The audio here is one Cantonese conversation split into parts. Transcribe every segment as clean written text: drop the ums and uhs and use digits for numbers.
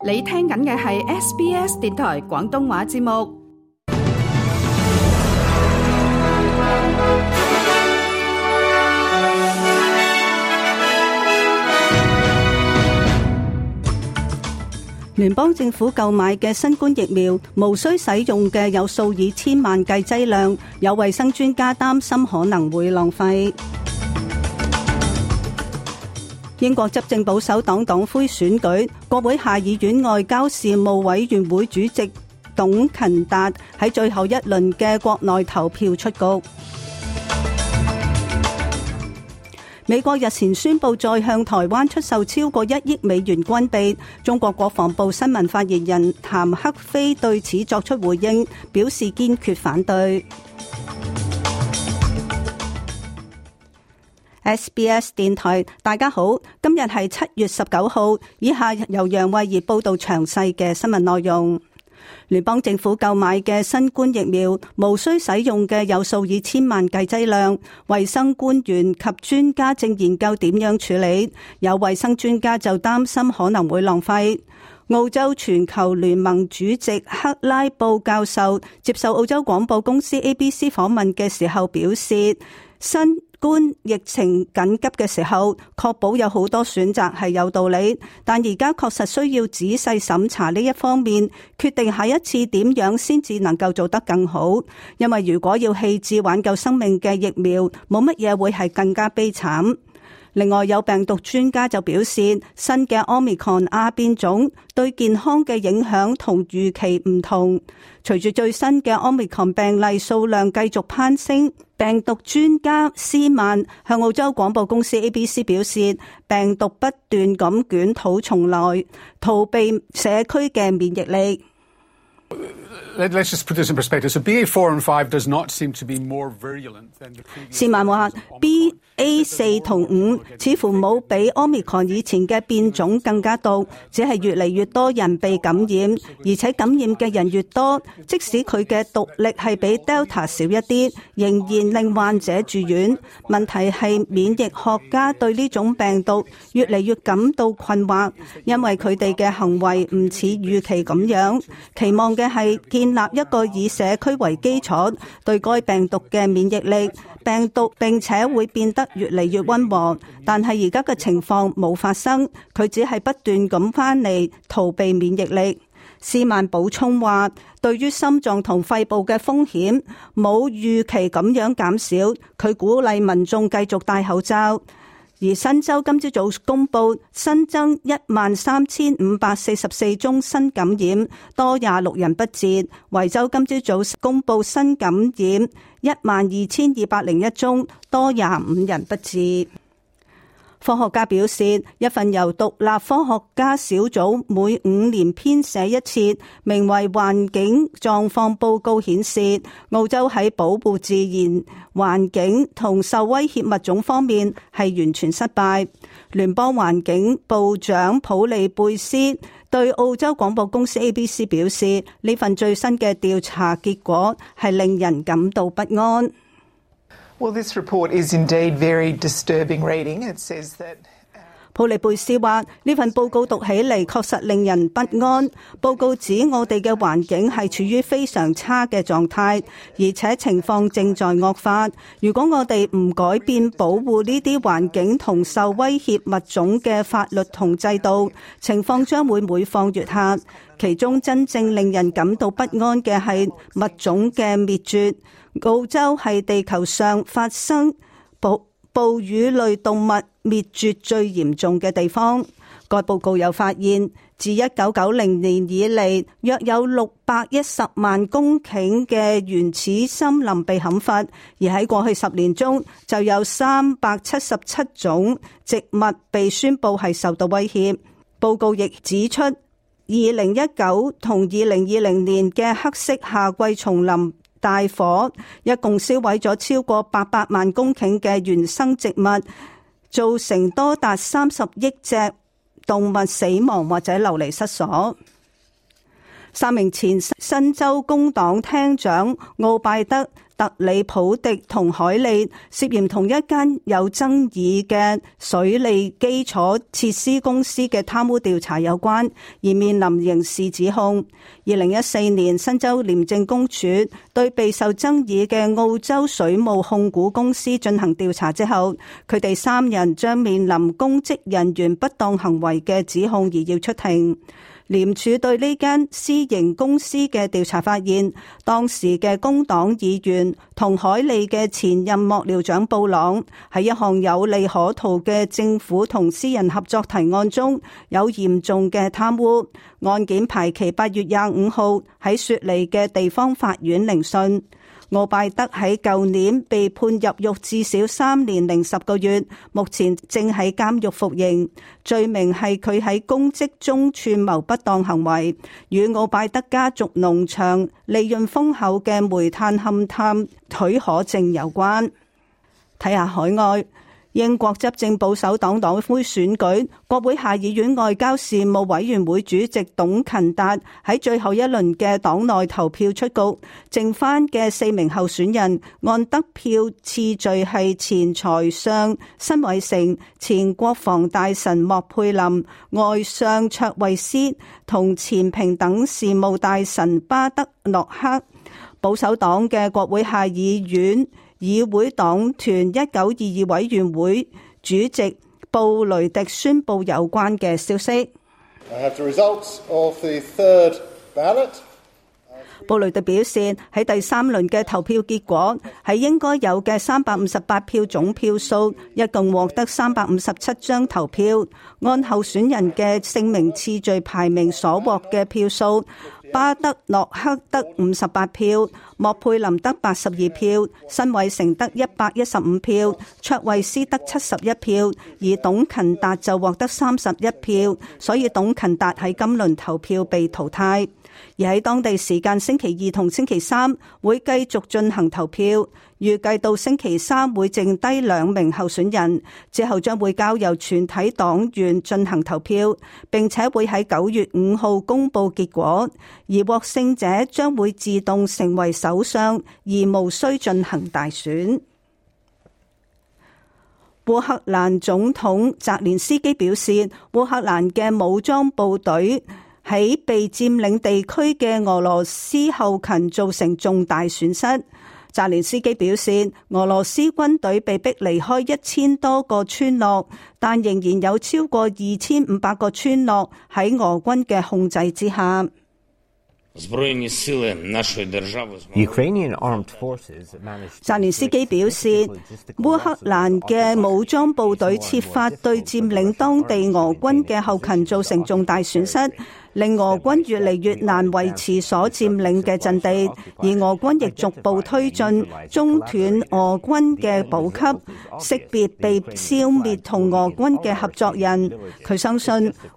你聽緊嘅係 SBS 電台廣東話節目。聯邦政府購買嘅新冠疫苗無需使用嘅有數以千萬計劑量，有衛生專家擔心可能會浪費。英國執政保守黨黨魁選舉，國會下議院外交事務委員會主席董勤達喺最後一輪嘅國內投票出局。美國日前宣布再向台灣出售超過1億美元軍備，中國國防部新聞發言人譚克非對此作出回應，表示堅決反對。SBS 電台，大家好，今日係7月19號，以下由楊慧儀報道詳細嘅新聞內容。聯邦政府購買嘅新冠疫苗無需使用嘅有數以千萬計劑量，衛生官員及專家正研究點樣處理，有衛生專家就擔心可能會浪費。澳洲全球聯盟主席克拉布教授接受澳洲廣播公司 ABC 訪問嘅時候表示，新冠疫情緊急嘅時候，確保有好多選擇係有道理，但而家確實需要仔細審查呢一方面，決定下一次點樣先至能夠做得更好。因為如果要棄置挽救生命嘅疫苗，冇乜嘢會係更加悲慘。另外，有病毒專家就表示，新嘅 Omicron 亞變種對健康嘅影響同預期唔同。隨住最新嘅 Omicron 病例數量繼續攀升，病毒專家斯曼向澳洲廣播公司 ABC 表示，病毒不斷咁捲土重來，逃避社區嘅免疫力。Let's just put this in perspective. So BA4 and 5 does not seem to be more virulent than the previous. 斯曼話 BA4 同5似乎冇比 Omicron 以前嘅變種更加毒，只係越嚟越多人被感染，而且感染嘅人越多，即使佢嘅毒力係比 Delta 少一啲，仍然令患者住院。問題係免疫學家對呢種病毒越嚟越感到困惑，因為佢哋嘅行為唔似預期咁樣，期望嘅係建立一個以社區為基礎對該病毒嘅免疫力，病毒並且會變得越嚟越溫和。但係而家嘅情況冇發生，佢只係不斷咁翻嚟逃避免疫力。斯曼補充話，對於心臟同肺部嘅風險冇預期咁樣減少，佢鼓勵民眾繼續戴口罩。而新州今朝早公布新增13,544宗新感染，多26人不治。維州今朝早公布新感染12,201宗，多25人不治。科學家表示，一份由獨立科學家小組每5年編寫一次，名為環境狀況報告顯示，澳洲喺保護自然環境同受威脅物種方面係完全失敗。聯邦環境部長普利貝斯對澳洲廣播公司 ABC 表示，呢份最新嘅調查結果係令人感到不安。Well, this report is indeed very disturbing reading. It says that 普利貝斯話，呢份報告讀起嚟確實令人不安。報告指我哋嘅環境係處於非常差嘅狀態，而且情況正在惡化。如果我哋唔改變保護呢啲環境同受威脅物種嘅法律同制度，情況將會每況愈下。其中真正令人感到不安嘅係物種嘅滅絕。澳洲係地球上發生哺乳類動物滅絕最嚴重嘅地方。該報告又發現，自1990年以嚟，約有610萬公頃嘅原始森林被砍伐，而喺過去10年中，就有377種植物被宣布係受到威脅。報告亦指出，2019同2020年嘅黑色夏季叢林大火一共燒毀咗超過800萬公頃嘅原生植物，造成多達30億隻動物死亡或者流離失所。3名前新州工黨廳長奧拜德、特里普迪同海利涉嫌同一間有爭議嘅水利基礎設施公司嘅貪污調查有關，而面臨刑事指控。2014年，新州廉政公署對備受爭議嘅澳洲水務控股公司進行調查之後，佢哋3人將面臨公職人員不當行為嘅指控而要出庭。廉署對呢間私營公司嘅調查發現，當時嘅工黨議員同海利嘅前任幕僚長布朗喺一項有利可圖嘅政府同私人合作提案中有嚴重嘅貪污。案件排期8月25號喺雪梨嘅地方法院聆訊。奧拜德喺舊年被判入獄至少3年零10個月，目前正喺監獄服刑。罪名係佢喺公職中串謀不當行為，與奧拜德家族農場利潤豐厚嘅煤炭勘探許可證有關。睇下海外。英國執政保守黨黨魁選舉，國會下議院外交事務委員會主席董勤達喺最後一輪嘅黨內投票出局，剩翻嘅4名候選人按得票次序係前財相辛偉誠、前國防大臣莫佩林、外相卓慧思同前平等事務大臣巴德諾克。保守黨嘅國會下議院議會黨團1922委員會主席布雷迪宣布有關嘅消息。布雷迪表示，喺第3輪嘅投票結果喺應該有嘅358票總票數，一共獲得357張投票。按候選人嘅姓名次序排名所獲嘅票數，巴德諾克得58票，莫佩林得82票，辛偉誠得115票，卓慧思得71票，而董勤達就獲得31票，所以董勤達喺今輪投票被淘汰。而喺當地時間星期2同星期3會繼續進行投票，預計到星期3會剩低2名候選人，之後將會交由全體黨員進行投票，並且會喺9月5號公佈結果，而獲勝者將會自動成為首相，而無需進行大選。烏克蘭總統澤連斯基表示，烏克蘭嘅武裝部隊喺被佔領地區嘅俄羅斯後勤造成重大損失。澤連斯基表示，俄羅斯軍隊被逼離開1000多個村落，但仍然有超過2500個村落喺俄軍嘅控制之下。澤連斯基表示，烏克蘭嘅武裝部隊設法對佔領當地俄軍嘅後勤造成重大損失，令俄軍越嚟越難維持所佔領嘅陣地，而俄軍亦逐步推進，中斷俄軍嘅補給，識別被消滅同俄軍嘅合作人。佢相信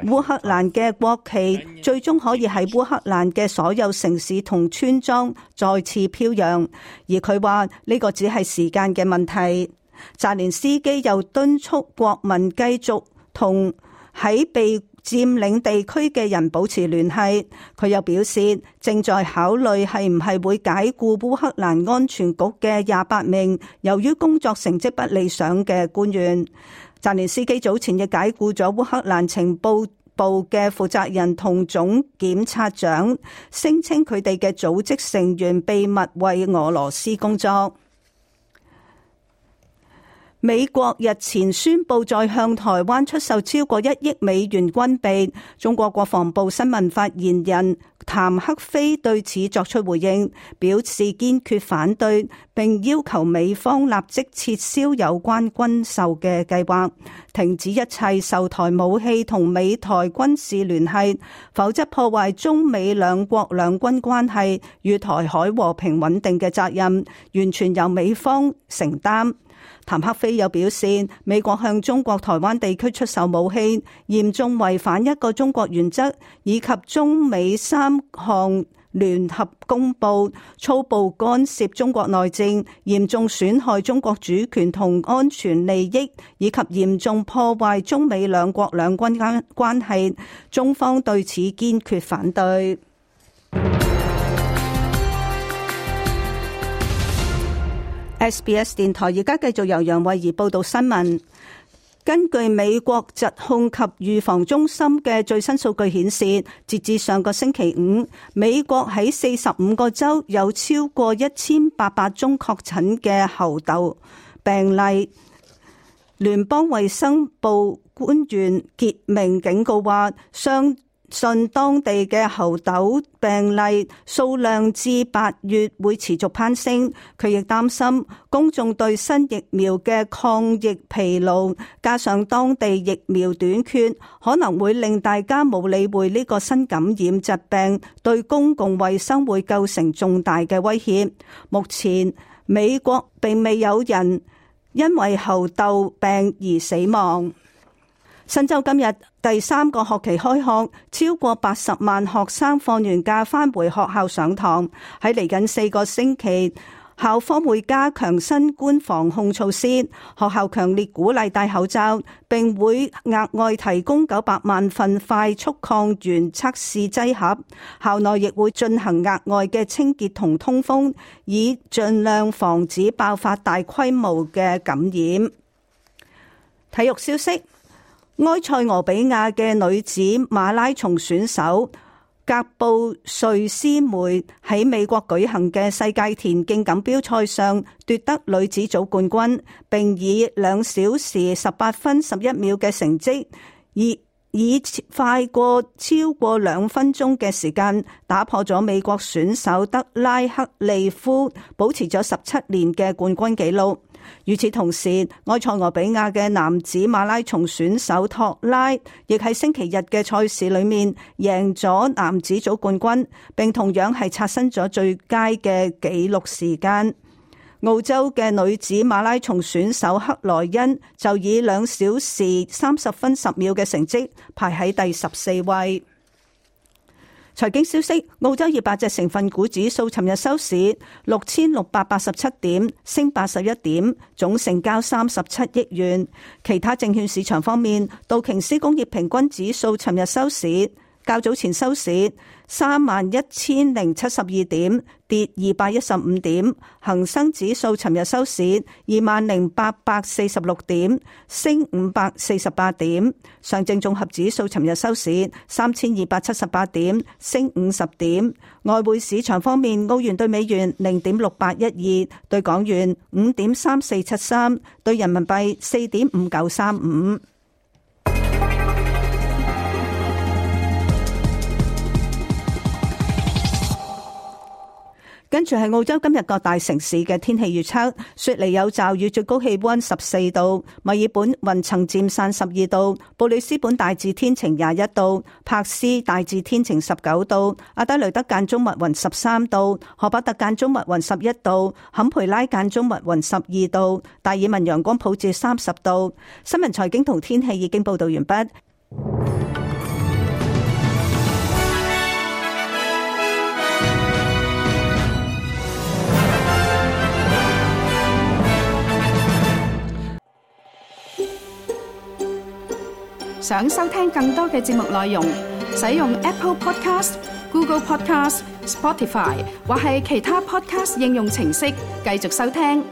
烏克蘭嘅國旗最終可以喺烏克蘭嘅所有城市同村莊再次飄揚，而佢話呢個只係時間嘅問題。澤連斯基又敦促國民繼續同喺被佔領地區嘅人保持聯繫。佢又表示，正在考慮係唔係會解僱烏克蘭安全局嘅28名由於工作成績不理想嘅官員。澤連斯基早前亦解僱咗烏克蘭情報部嘅負責人同總檢察長，聲稱佢哋嘅組織成員秘密為俄羅斯工作。美國日前宣布再向台灣出售超過1億美元軍備，中國國防部新聞發言人譚克非對此作出回應，表示堅決反對，並要求美方立即撤銷有關軍售嘅計劃，停止一切售台武器同美台軍事聯繫，否則破壞中美兩國兩軍關係與台海和平穩定嘅責任，完全由美方承擔。譚克非又表示，美國向中國台灣地區出售武器，嚴重違反一個中國原則，以及中美3項聯合公報，粗暴干涉中國內政，嚴重損害中國主權同安全利益，以及嚴重破壞中美兩國兩軍關係。中方對此堅決反對。SBS 電台而家繼續由楊慧儀報道新聞。根據美國疾控及預防中心嘅最新數據顯示，截至上個星期五，美國喺45個州有超過1800宗確診嘅猴痘病例。聯邦衛生部官員傑明警告話，相信當地嘅猴痘病例數量至8月會持續攀升。佢亦擔心公眾對新疫苗嘅抗疫疲勞，加上當地疫苗短缺，可能會令大家冇理會呢個新感染疾病對公共衛生會構成重大嘅威脅。目前美國並未有人因為猴痘病而死亡。新州今日第3個學期開學，超過80萬學生放完假返回學校上堂。喺嚟緊4個星期，校方會加強新冠防控措施。學校強烈鼓勵戴口罩，並會額外提供900萬份快速抗原測試劑盒。校內亦會進行額外嘅清潔同通風，以盡量防止爆發大規模嘅感染。體育消息。埃塞俄比亞嘅女子馬拉松選手格布瑞斯梅喺美國舉行嘅世界田徑錦標賽上奪得女子組冠軍，並以2小時18分11秒嘅成績，以快過超過2分鐘嘅時間打破咗美國選手德拉克利夫保持咗17年嘅冠軍紀錄。與此同時，埃塞俄比亞嘅男子馬拉松選手托拉亦喺星期日嘅賽事裏面贏咗男子組冠軍，並同樣係刷新咗最佳嘅紀錄時間。澳洲嘅女子馬拉松選手克萊恩就以2小時30分10秒嘅成績排喺第14位。財經消息，澳洲200隻成分股指數尋日收市6687點，升81點，總成交37億元。其他證券市場方面，道瓊斯工業平均指數尋日收市較早前收市31,072點，跌215點。恒生指數尋日收市20,846點，升548點。上證綜合指數尋日收市3,278點，升50點。外匯市場方面，澳元對美元0.6812，對港元5.3473，對人民幣4.5935。跟住係澳洲今日各大城市嘅天氣預測：雪梨有驟雨，最高氣溫14度；墨爾本雲層漸散12度；布里斯本大致天晴21度；柏斯大致天晴19度；阿德雷德間中密雲13度；荷伯特間中密雲11度；坎培拉間中密雲12度；達爾文陽光普照30度。新聞財經同天氣已經報道完畢。想收聽更多嘅節目內容，使用 Apple Podcast、Google Podcast、Spotify 或係其他 Podcast 應用程式繼續收聽。